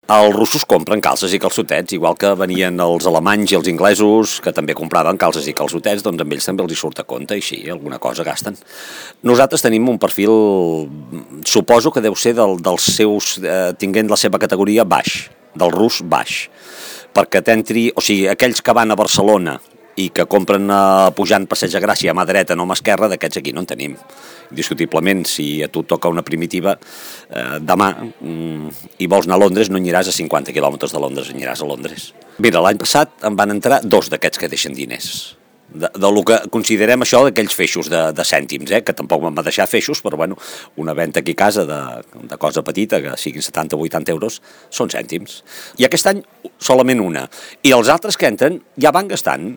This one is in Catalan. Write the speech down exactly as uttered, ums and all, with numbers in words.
Els russos compren calces i calçotets, igual que venien els alemanys i els inglesos, que també compraven calces i calçotets, doncs amb ells també els hi surt a compte, i sí, alguna cosa gasten. Nosaltres tenim un perfil, suposo que deu ser del, dels seus, eh, tinguent la seva categoria baix, del rus baix, perquè t'entri, o sigui, aquells que van a Barcelona i que compren eh, pujant Passeig de Gràcia a mà dreta, no a mà esquerra, d'aquests aquí no en tenim. Discutiblement, si a tu toca una primitiva eh, demà mm, i vols anar a Londres, no aniràs a cinquanta quilòmetres de Londres, aniràs a Londres. Mira, l'any passat em van entrar dos d'aquests que deixen diners. De, de lo que considerem això d'aquells feixos de, de cèntims, eh? Que tampoc m'han de deixar feixos, però bueno, una venda aquí a casa de, de cosa petita, que siguin setanta o vuitanta euros, són cèntims. I aquest any solament una. I els altres que entren ja van gastant.